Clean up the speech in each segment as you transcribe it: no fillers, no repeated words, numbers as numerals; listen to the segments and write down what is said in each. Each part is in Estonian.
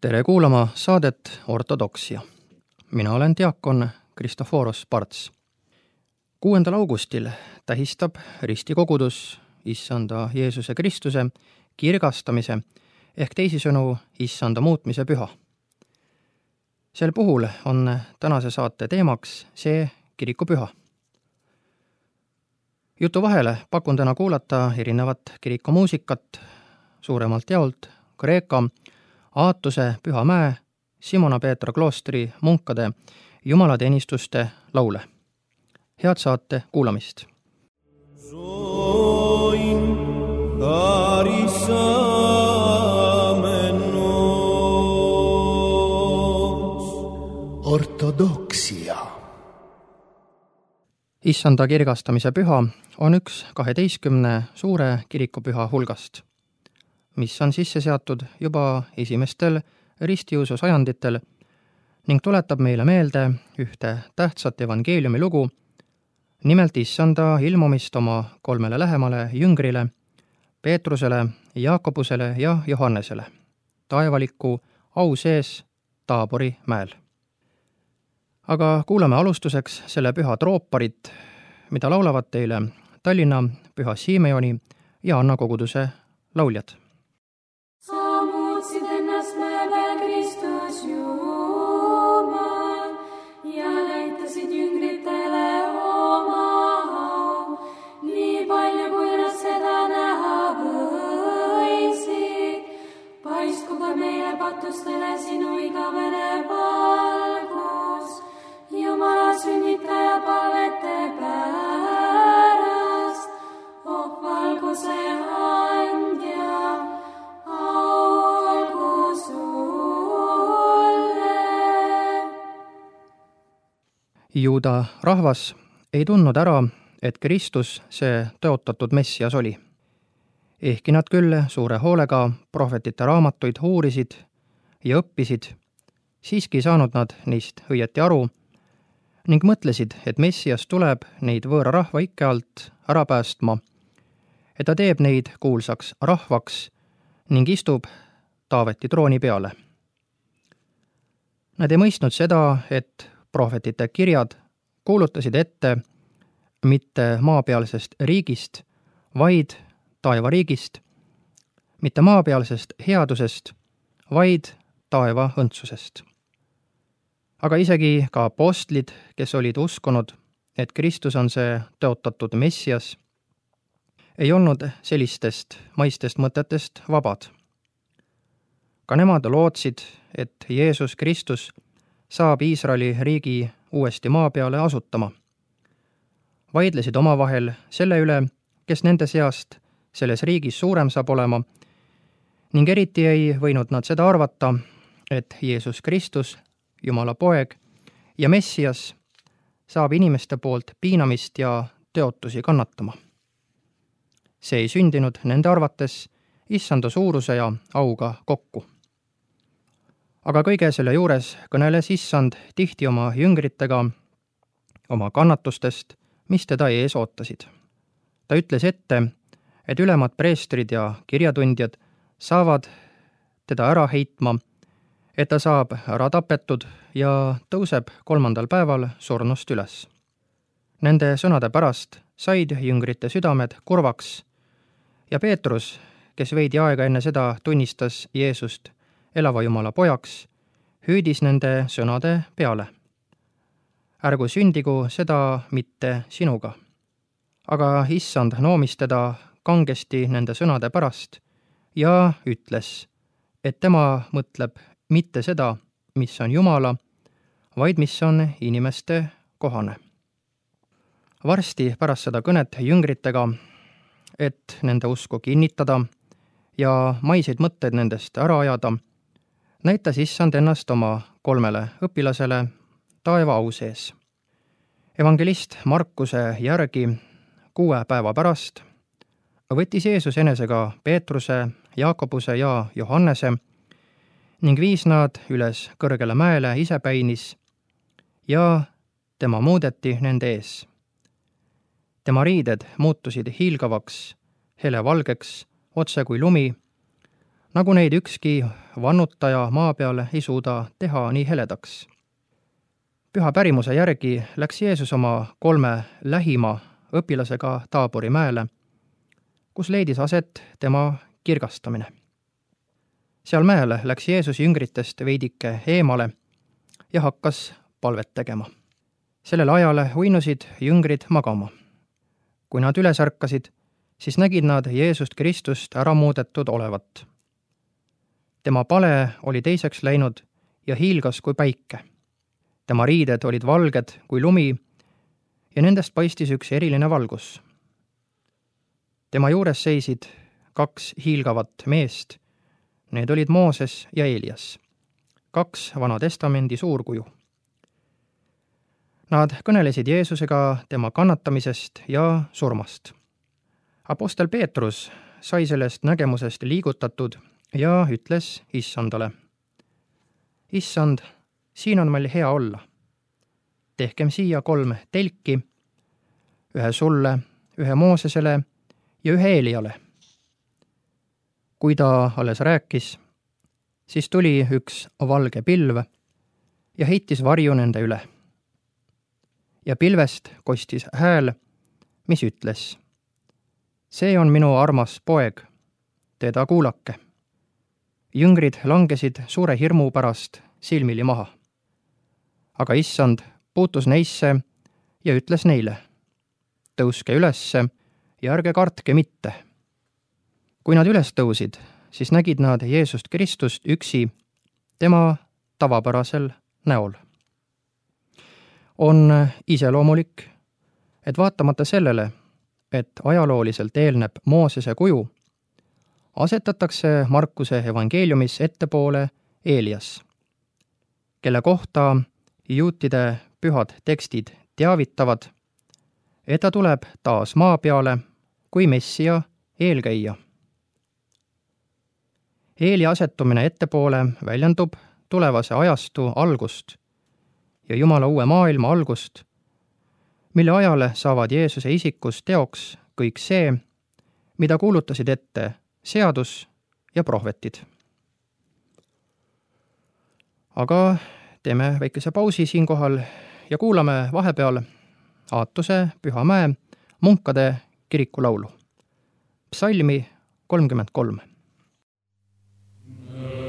Tere kuulama saadet Ortodoksia. Mina olen diakon Kristoforos Parts. 6. augustil tähistab ristikogudus Issanda Jeesuse Kristuse kirgastamise ehk teisisõnu Issanda muutmise püha. Sel puhul on tänase saate teemaks see kirikupüha. Jutu vahele pakun täna kuulata erinevat kirikumuusikat, suuremalt jaolt Kreeka Aatuse Püha Mäe Simona Peetra kloostri munkade jumalateenistuste laule. Head saate kuulamist! Ortodoksia. Issanda kirgastamise püha on üks 12 suure kirikupüha hulgast, mis on sisse seatud juba esimestel ristiusu sajanditel ning tuletab meile meelde ühte tähtsat evangeeliumi lugu, nimelt Issanda ilmumist oma 3 lähemale jüngrile, Peetrusele, Jaakobusele ja Johannesele, taevaliku au sees Taabori mäel. Aga kuulame alustuseks selle püha trooparit, mida laulavad teile Tallinna Püha Simeoni ja Anna koguduse lauljad. Sa muutsid ennast mäe peal, Kristus Jumal, ja näitasid jüngritele oma au, nii palju kui nad seda näha võisid. Paistku ka meile patustele sinu igavene valgus, Jumala sünnitaja palvete pärast, oh valguse andja, olgu sulle. Juuda rahvas ei tundnud ära, et Kristus see tõotatud Messias oli. Ehkki nad küll suure hoolega prohvetite raamatuid uurisid ja õppisid, siiski ei saanud nad neist õieti aru ning mõtlesid, et Messias tuleb neid võõra rahva ikke alt ära päästma, et ta teeb neid kuulsaks rahvaks ning istub Taaveti trooni peale. Nad ei mõistnud seda, et prohvetite kirjad kuulutasid ette mitte maapealsest riigist, vaid taevariigist, mitte maapealsest headusest, vaid taeva õndsusest. Aga isegi ka apostlid, kes olid uskunud, et Kristus on see tõotatud Messias, ei olnud sellistest maistest mõtetest vabad. Ka nemad lootsid, et Jeesus Kristus saab Iisraeli riigi uuesti maa peale asutama. Vaidlesid omavahel selle üle, kes nende seast selles riigis suurem saab olema, ning eriti ei võinud nad seda arvata, et Jeesus Kristus, Jumala poeg ja Messias, saab inimeste poolt piinamist ja teotusi kannatama. See ei sündinud nende arvates Issanda suuruse ja auga kokku. Aga kõige selle juures kõneles Issand tihti oma jüngritega oma kannatustest, mis teda ees ootasid. Ta ütles ette, et ülemad preestrid ja kirjatundjad saavad teda ära heitma, et ta saab ära tapetud ja tõuseb 3. päeval surnust üles. Nende sõnade pärast said jüngrite südamed kurvaks ja Peetrus, kes veidi aega enne seda tunnistas Jeesust elava Jumala pojaks, hüüdis nende sõnade peale. Ärgu sündigu seda mitte sinuga. Aga Issand noomis teda kangesti nende sõnade pärast ja ütles, et tema mõtleb mitte seda, mis on Jumala, vaid mis on inimeste kohane. Varsti pärast seda kõnet jüngritega, et nende usku kinnitada ja maiseid mõtteid nendest ära ajada, näitas Issand ennast oma 3 õpilasele taeva au sees. Evangelist Markuse järgi 6 päeva pärast võttis Jeesus enesega Peetruse, Jaakobuse ja Johannese ning viis nad üles kõrgele mäele isepäinis ja tema muudeti nende ees. Tema riided muutusid hiilgavaks, helevalgeks, otse kui lumi, nagu neid ükski vannutaja maa peal ei suuda teha nii heledaks. Püha pärimuse järgi läks Jeesus oma 3 lähima õpilasega Taabori mäele, kus leidis aset tema kirgastamine. Seal mäel läks Jeesus jüngritest veidike eemale ja hakkas palvet tegema. Sellel ajal uinusid jüngrid magama. Kui nad üles ärkasid, siis nägid nad Jeesust Kristust ära muudetud olevat. Tema pale oli teiseks läinud ja hiilgas kui päike. Tema riided olid valged kui lumi ja nendest paistis üks eriline valgus. Tema juures seisid 2 hiilgavat meest, need olid Mooses ja Eelias, 2 Vana Testamendi suurkuju. Nad kõnelesid Jeesusega tema kannatamisest ja surmast. Apostel Peetrus sai sellest nägemusest liigutatud ja ütles Issandale: Issand, siin on meil hea olla. Tehkem siia 3 telki, 1 sulle, 1 Moosesele ja 1 Eeliale. Kui ta alles rääkis, siis tuli üks valge pilv ja heitis varju nende üle. Ja pilvest kostis hääl, mis ütles: see on minu armas poeg, teda kuulake. Jüngrid langesid suure hirmu pärast silmili maha. Aga Issand puutus neisse ja ütles neile: tõuske ülesse ja ärge kartke mitte. Kui nad üles tõusid, siis nägid nad Jeesust Kristust üksi tema tavapärasel näol. On iseloomulik, et vaatamata sellele, et ajalooliselt eelneb Moosese kuju, asetatakse Markuse evangeeliumis ettepoole Eelias, kelle kohta juutide pühad tekstid teavitavad, et ta tuleb taas maa peale kui Messia eelkäija. Eeli asetumine ettepoole väljendub tulevase ajastu algust ja Jumala uue maailma algust, mille ajal saavad Jeesuse isikus teoks kõik see, mida kuulutasid ette seadus ja prohvetid. Aga teeme väikese pausi siinkohal ja kuulame vahepeal Aatuse Pühamäe munkade kirikulaulu. Psalmi 33. Alleluia.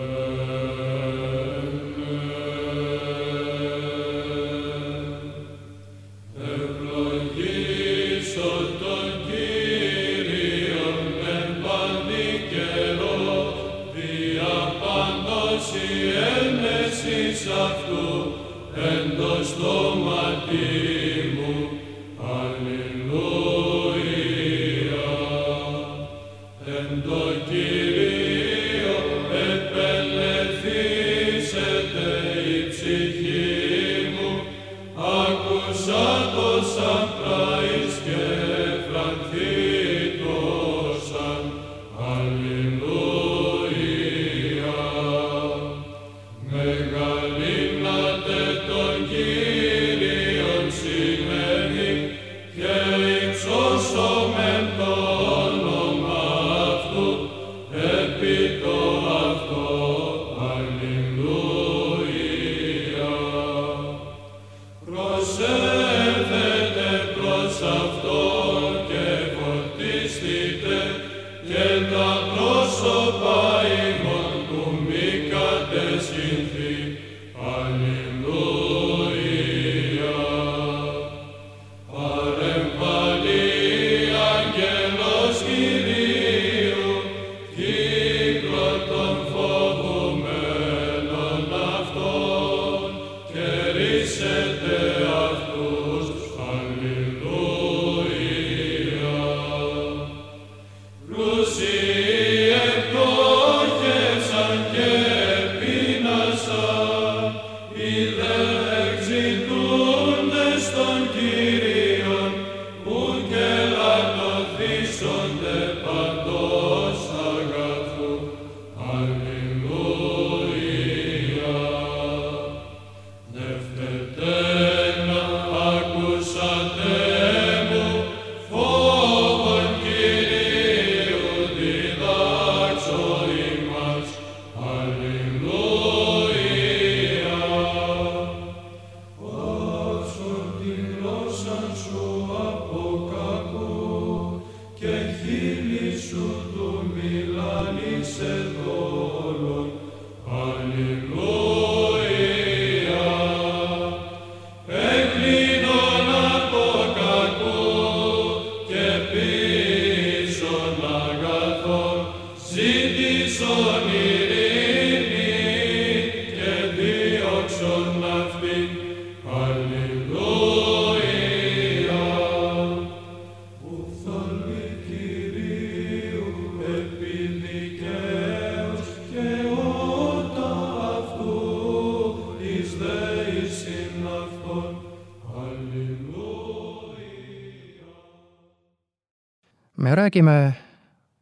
Me räägime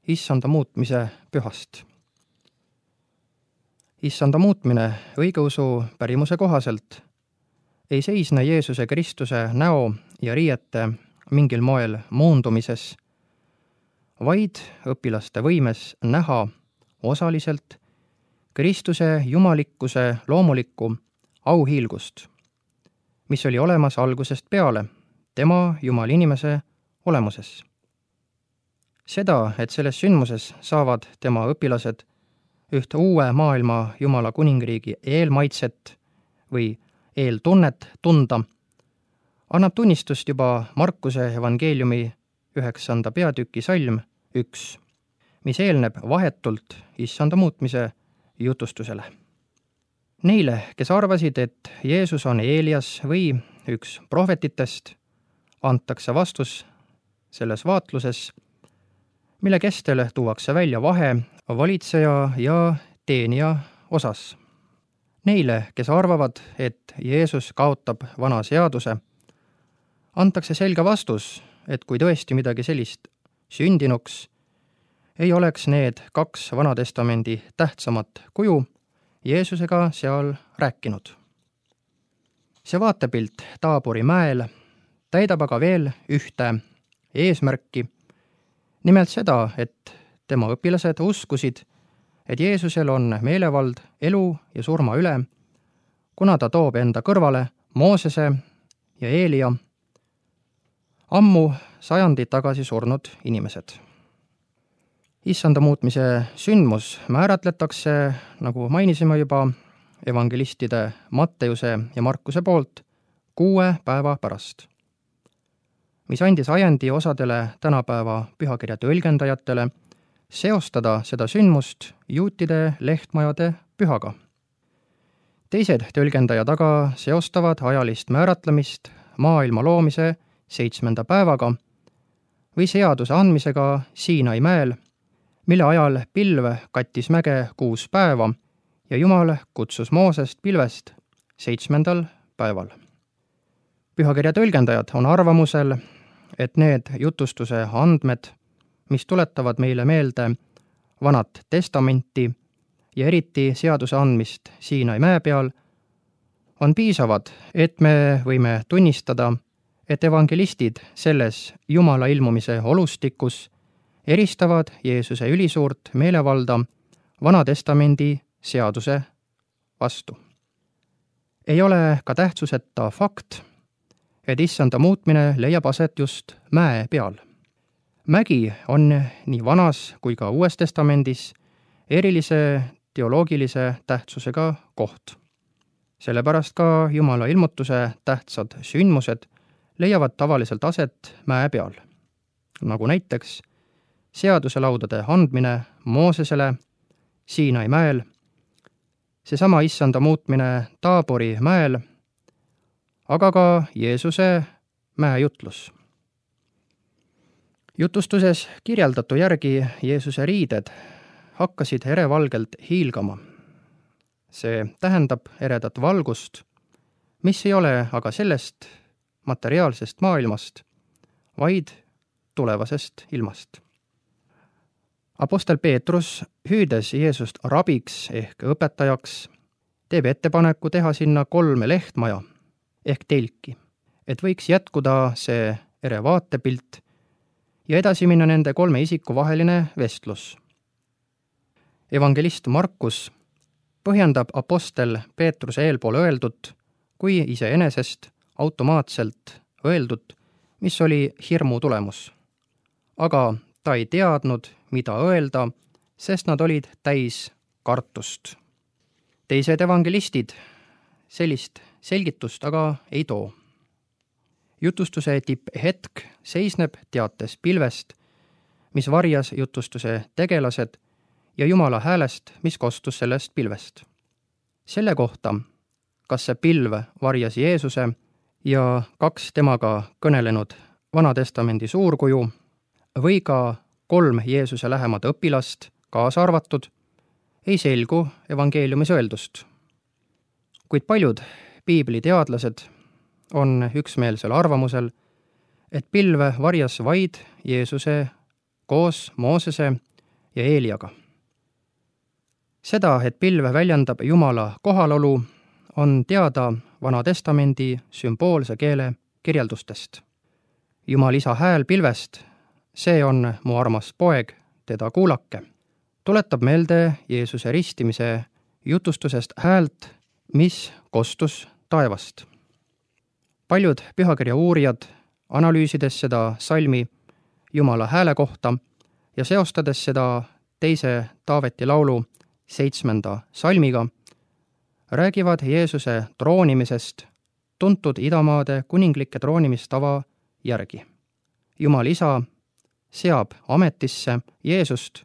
issanda muutmise pühast. Issanda muutmine õigeusu pärimuse kohaselt ei seisne Jeesuse Kristuse näo ja riiete mingil moel moondumises, vaid õpilaste võimes näha osaliselt Kristuse jumalikkuse loomulikku auhiilgust, mis oli olemas algusest peale tema jumalinimese olemuses. Seda, et selles sündmuses saavad tema õpilased üht uue maailma Jumala kuningriigi eelmaitset või eeltunnet tunda, annab tunnistust juba Markuse evangeeliumi 9. peatüki salm 1, mis eelneb vahetult issanda muutmise jutustusele. Neile, kes arvasid, et Jeesus on Eelias või üks prohvetitest, antakse vastus selles vaatluses, mille kestel tuuakse välja vahe valitseja ja teenija osas. Neile, kes arvavad, et Jeesus kaotab vana seaduse, antakse selge vastus, et kui tõesti midagi sellist sündinuks, ei oleks need 2 Vanatestamendi tähtsamat kuju Jeesusega seal rääkinud. See vaatepilt Taabori mäel täidab aga veel ühte eesmärki, nimelt seda, et tema õpilased uskusid, et Jeesusel on meelevald elu ja surma üle, kuna ta toob enda kõrvale Moosese ja Eelia, ammu sajandid tagasi surnud inimesed. Issanda muutmise sündmus määratletakse, nagu mainisime juba, evangelistide Matteuse ja Markuse poolt 6 päeva pärast, mis andis ajendi osadele tänapäeva pühakirja tõlgendajatele seostada seda sündmust juutide lehtmajade pühaga. Teised tõlgendajad aga seostavad ajalist määratlemist maailma loomise 7. päevaga või seaduse andmisega Siinai mäel, mille ajal pilv kattis mäge 6 päeva ja Jumal kutsus Moosest pilvest 7. päeval. Pühakirja tõlgendajad on arvamusel, et need jutustuse andmed, mis tuletavad meile meelde Vanat Testamenti ja eriti seaduse andmist Siinai mäe peal, on piisavad, et me võime tunnistada, et evangelistid selles Jumala ilmumise olustikus eristavad Jeesuse ülisuurt meelevalda Vana Testamendi seaduse vastu. Ei ole ka tähtsuseta fakt, et issanda muutmine leiab aset just mäe peal. Mägi on nii Vanas kui ka Uues Testamendis erilise teoloogilise tähtsusega koht. Sellepärast ka Jumala ilmutuse tähtsad sündmused leiavad tavaliselt aset mäe peal, nagu näiteks seaduselaudade andmine Moosesele Siinai mäel, seesama issanda muutmine Taabori mäel, aga ka Jeesuse mäejutlus. Jutustuses kirjeldatu järgi Jeesuse riided hakkasid erevalgelt hiilgama. See tähendab eredat valgust, mis ei ole aga sellest materiaalsest maailmast, vaid tulevasest ilmast. Apostel Peetrus, hüüdes Jeesust rabiks ehk õpetajaks, teeb ettepaneku teha sinna 3 lehtmaja ehk telki, et võiks jätkuda see ere vaatepilt ja edasi minna nende 3 isiku vaheline vestlus. Evangelist Markus põhjendab apostel Peetruse eelpool öeldut kui iseenesest automaatselt öeldut, mis oli hirmu tulemus. Aga ta ei teadnud, mida öelda, sest nad olid täis kartust. Teised evangelistid sellist selgitust aga ei too. Jutustuse tipphetk seisneb teates pilvest, mis varjas jutustuse tegelased ja Jumala häälest, mis kostus sellest pilvest. Selle kohta, kas see pilv varjas Jeesuse ja 2 temaga kõnelenud Vana Testamendi suurkuju või ka 3 Jeesuse lähemad õpilast kaasa arvatud, ei selgu evangeeliumis öeldust. Kuid paljud piibliteadlased on üksmeelsel arvamusel, et pilv varjas vaid Jeesuse koos Moosese ja Eeliaga. Seda, et pilv väljendab Jumala kohalolu, on teada Vana Testamendi sümboolse keele kirjeldustest. Jumal isa hääl pilvest, see on mu armas poeg, teda kuulake, tuletab meelde Jeesuse ristimise jutustusest häält, mis kostus taevast. Paljud pühakirja uurijad, analüüsides seda salmi Jumala hääle kohta ja seostades seda teise Taaveti laulu 7. salmiga, räägivad Jeesuse troonimisest tuntud idamaade kuninglike troonimistava järgi. Jumal isa seab ametisse Jeesust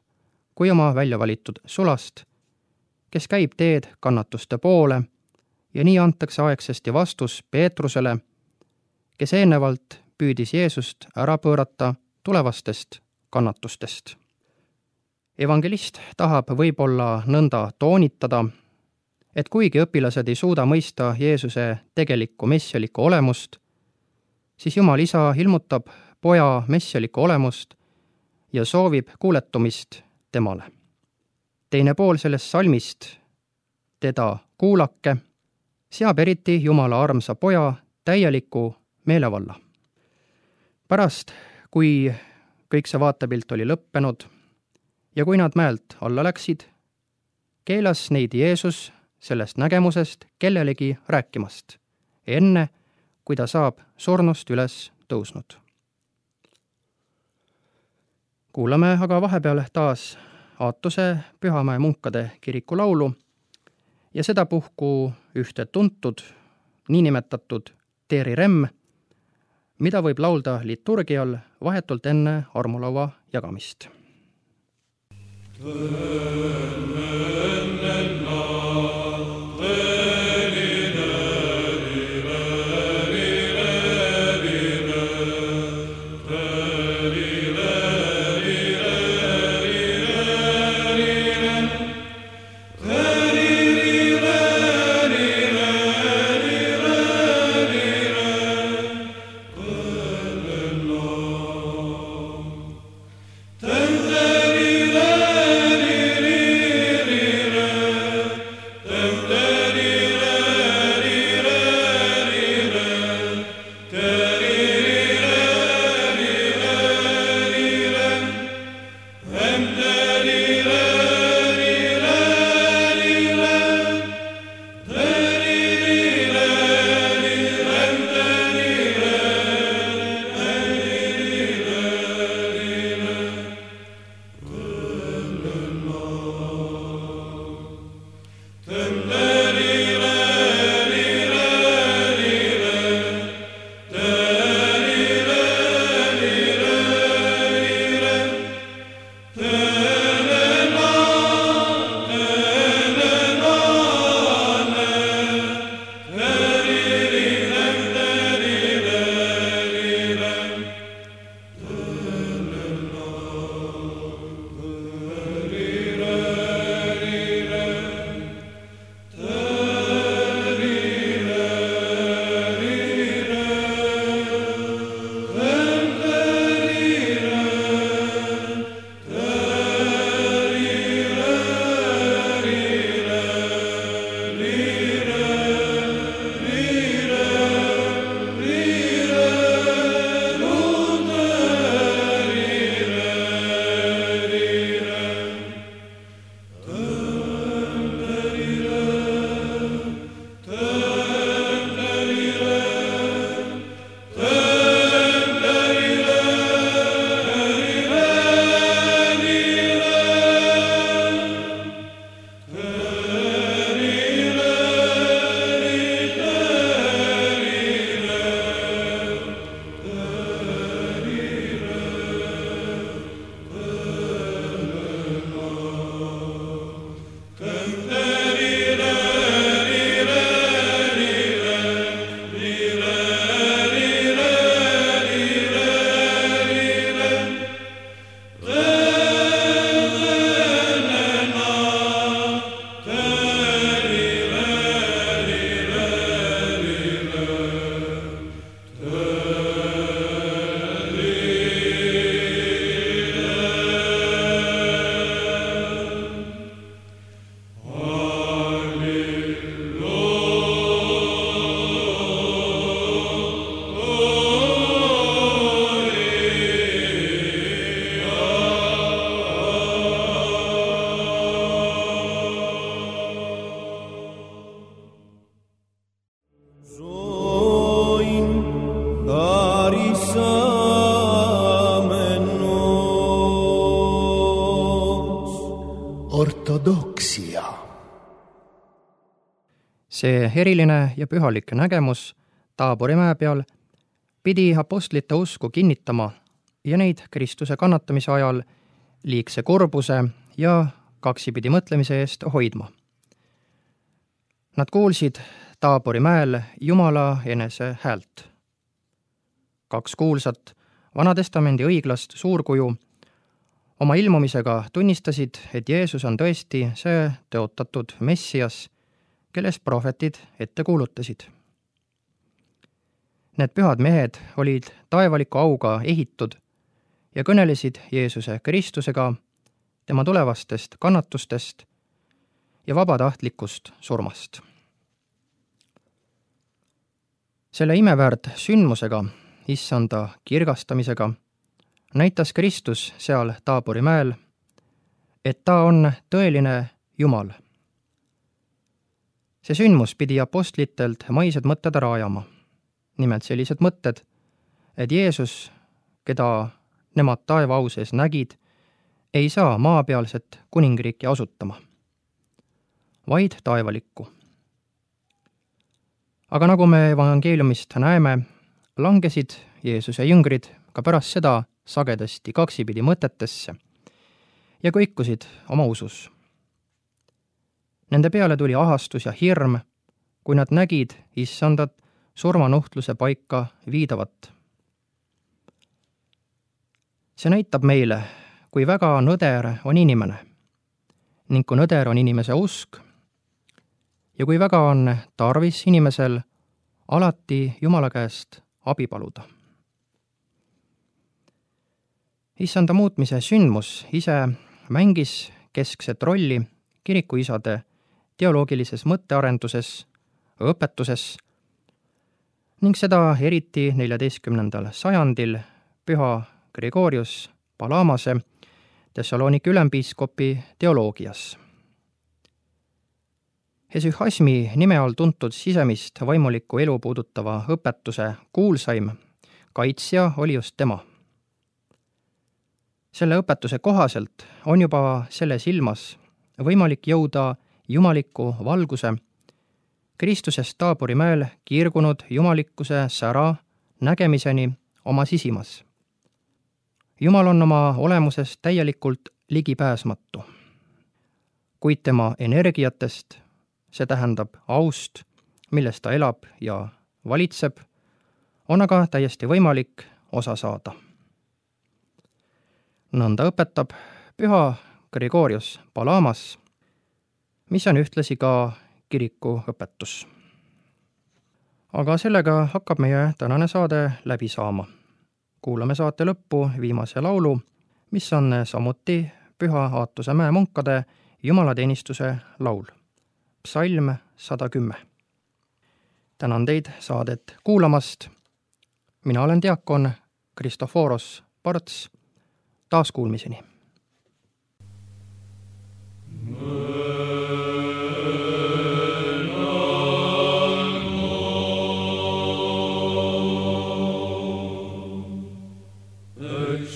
kui oma välja valitud sulast, kes käib teed kannatuste poole, ja nii antakse aegsasti vastus Peetrusele, kes eelnevalt püüdis Jeesust ära pöörata tulevastest kannatustest. Evangelist tahab võib-olla nõnda toonitada, et kuigi õpilased ei suuda mõista Jeesuse tegelikku messialikku olemust, siis Jumal isa ilmutab poja messialikku olemust ja soovib kuuletumist temale. Teine pool sellest salmist, teda kuulake, seab eriti Jumala armsa poja täieliku meelevalla. Pärast, kui kõik see vaatepilt oli lõppenud ja kui nad mäelt alla läksid, keelas neid Jeesus sellest nägemusest kellelegi rääkimast, enne kui ta saab surnust üles tõusnud. Kuulame aga vahepeal taas Aatuse Pühamäe munkade kiriku laulu ja sedapuhku ühte tuntud, niinimetatud Teeri Remm, mida võib laulda liturgial vahetult enne armulaua jagamist. see eriline ja pühalik nägemus Taabori mäe peal pidi apostlite usku kinnitama ja neid Kristuse kannatamise ajal liigse kurbuse ja kaksipidi mõtlemise eest hoidma. Nad kuulsid Taabori mäel Jumala enese häält. 2 kuulsat Vanatestamendi õiglast suurkuju oma ilmumisega tunnistasid, et Jeesus on tõesti see tõotatud Messias, kellest prohvetid ette kuulutasid. Need pühad mehed olid taevaliku auga ehitud ja kõnelesid Jeesuse Kristusega, tema tulevastest kannatustest ja vabatahtlikust surmast. Selle imeväärt sündmusega, issanda kirgastamisega, näitas Kristus seal Taabori mäel, et ta on tõeline Jumal. See sündmus pidi apostlitelt maised mõtted ära ajama. Nimelt sellised mõtted, et Jeesus, keda nemad taeva au sees nägid, ei saa maapealset kuningriiki asutama, vaid taevalikku. Aga nagu me evangeeliumist näeme, langesid Jeesuse jüngrid ka pärast seda sagedasti kaksipidi mõtetesse ja kõikusid oma usus. Nende peale tuli ahastus ja hirm, kui nad nägid issandat surmanuhtluse paika viidavat. See näitab meile, kui väga nõder on inimene ning kui nõder on inimese usk ja kui väga on tarvis inimesel alati Jumala käest abi paluda. Issanda muutmise sündmus ise mängis keskset rolli kirikuisade teoloogilises mõttearenduses, õpetuses ning seda eriti 14. sajandil püha Gregorius Palamase, Thessaloniki ülempiiskopi teoloogias. Hesühasmi nime all tuntud sisemist vaimulikku elu puudutava õpetuse kuulsaim kaitsja oli just tema. Selle õpetuse kohaselt on juba selles ilmas võimalik jõuda jumaliku valguse, Kristusest Taabori mäel kiirgunud jumalikkuse sära nägemiseni oma sisimas. Jumal on oma olemusest täielikult ligipääsmatu, kuid tema energiatest, see tähendab aust, milles ta elab ja valitseb, on aga täiesti võimalik osa saada. Nõnda õpetab püha Gregorius Palamas, mis on ühtlasi ka kiriku õpetus. Aga sellega hakkab meie tänane saade läbi saama. Kuulame saate lõppu viimase laulu, mis on samuti Püha Aatuse mäe munkade jumalateenistuse laul. Psalm 110. Tänan teid saadet kuulamast. Mina olen diakon Kristoforos Parts. Taaskuulmiseni. El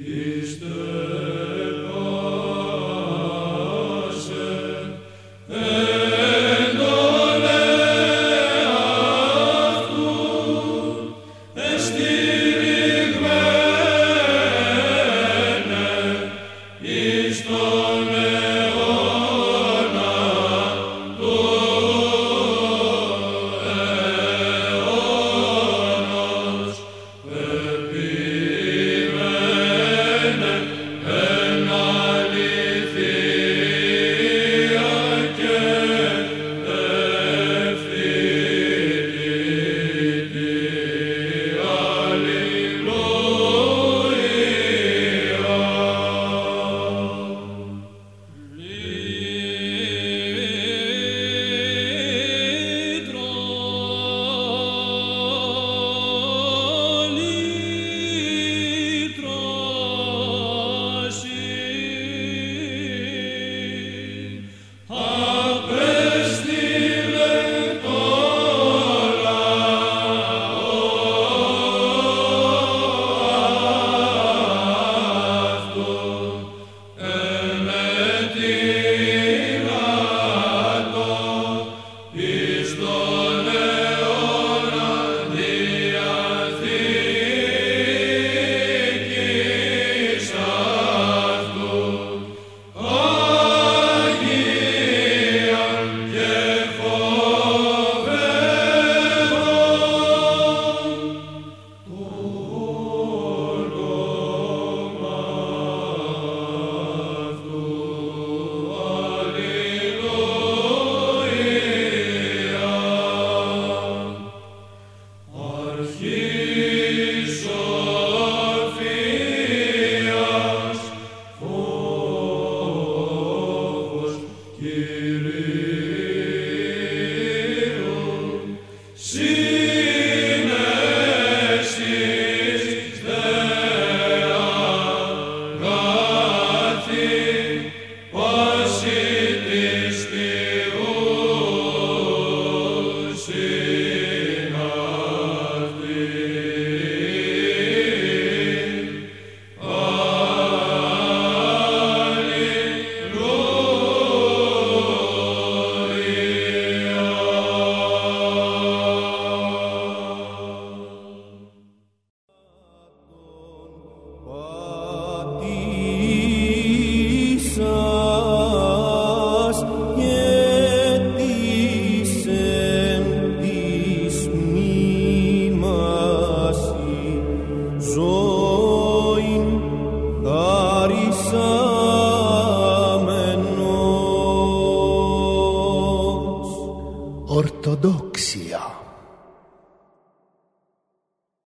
Is the